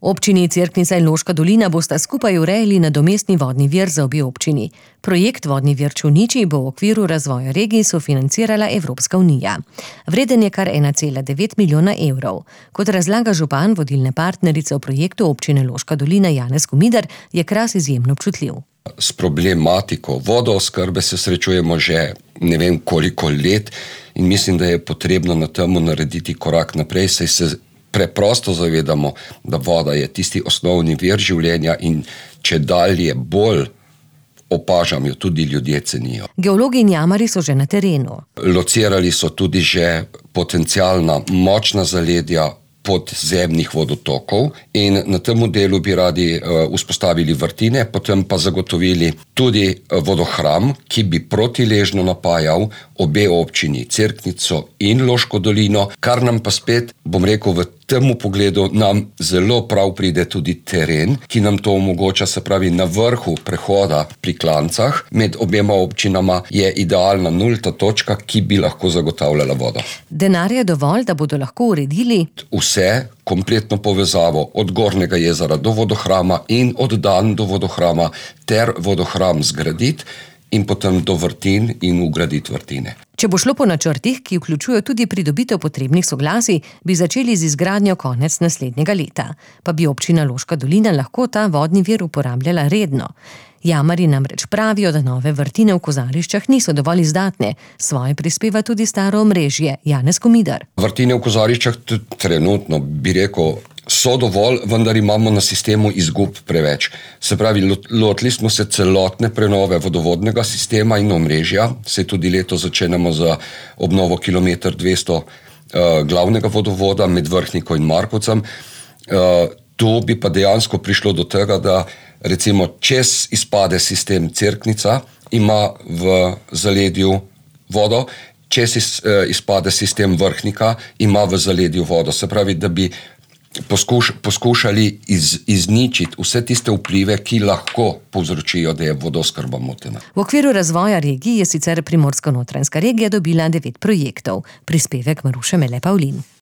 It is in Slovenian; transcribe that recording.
Občini Cerknica in Loška dolina bosta skupaj urejali nadomestni vodni vir za obe občini. Projekt Vodni vir Čolniči bo v okviru razvoja regij sofinancirala Evropska unija. Vreden je kar 1,9 milijona evrov. Kot razlaga župan vodilne partnerice v projektu občine Loška dolina Janez Komidar, je Kras izjemno občutljiv. S problematiko vodooskrbe se srečujemo že ne vem koliko let in mislim, da je potrebno na temu narediti korak naprej, saj se preprosto zavedamo, da voda je tisti osnovni vir življenja in če dalje bolj opažam, jo tudi ljudje cenijo. Geologi in jamarji so že na terenu. Locirali so tudi že potencialna močna zaledja podzemnih vodotokov in na tem delu bi radi vzpostavili vrtine, potem pa zagotovili tudi vodohram, ki bi protiležno napajal obe občini, Cerknico in Loško dolino, kar nam pa spet, bom rekel, v temu pogledu nam zelo prav pride tudi teren, ki nam to omogoča, se pravi na vrhu prehoda pri Klancah, med obema občinama je idealna nulta točka, ki bi lahko zagotavljala vodo. Denar je dovolj, da bodo lahko uredili vse, kompletno povezavo od Gornjega jezera do vodohrama in od Dan do vodohrama ter vodohram zgraditi in potem do vrtin in ugraditi vrtine. Če bo šlo po načrtih, ki vključujejo tudi pridobitev potrebnih soglasij, bi začeli z izgradnjo konec naslednjega leta. Pa bi občina Loška dolina lahko ta vodni vir uporabljala redno. Jamarji namreč pravijo, da nove vrtine v Kozariščah niso dovolj izdatne. Svoje prispeva tudi staro omrežje, Janez Komidar. Vrtine v Kozariščah trenutno, bi rekel, so dovolj, vendar imamo na sistemu izgub preveč. Se pravi, lotili smo se celotne prenove vodovodnega sistema in omrežja, se tudi leto začenjamo za obnovo kilometer 200 glavnega vodovoda med Vrhniko in Markovcem. Tu bi pa dejansko prišlo do tega, da recimo čez izpade sistem Cerknica ima v zaledju vodo, čez izpade sistem Vrhnika ima v zaledju vodo. Se pravi, da bi poskušali izničiti vse tiste vplive, ki lahko povzročijo, da je vodooskrba motena. V okviru razvoja regij je sicer Primorsko-notranjska regija dobila 9 projektov. Prispevek Maruše Mele Pavlin.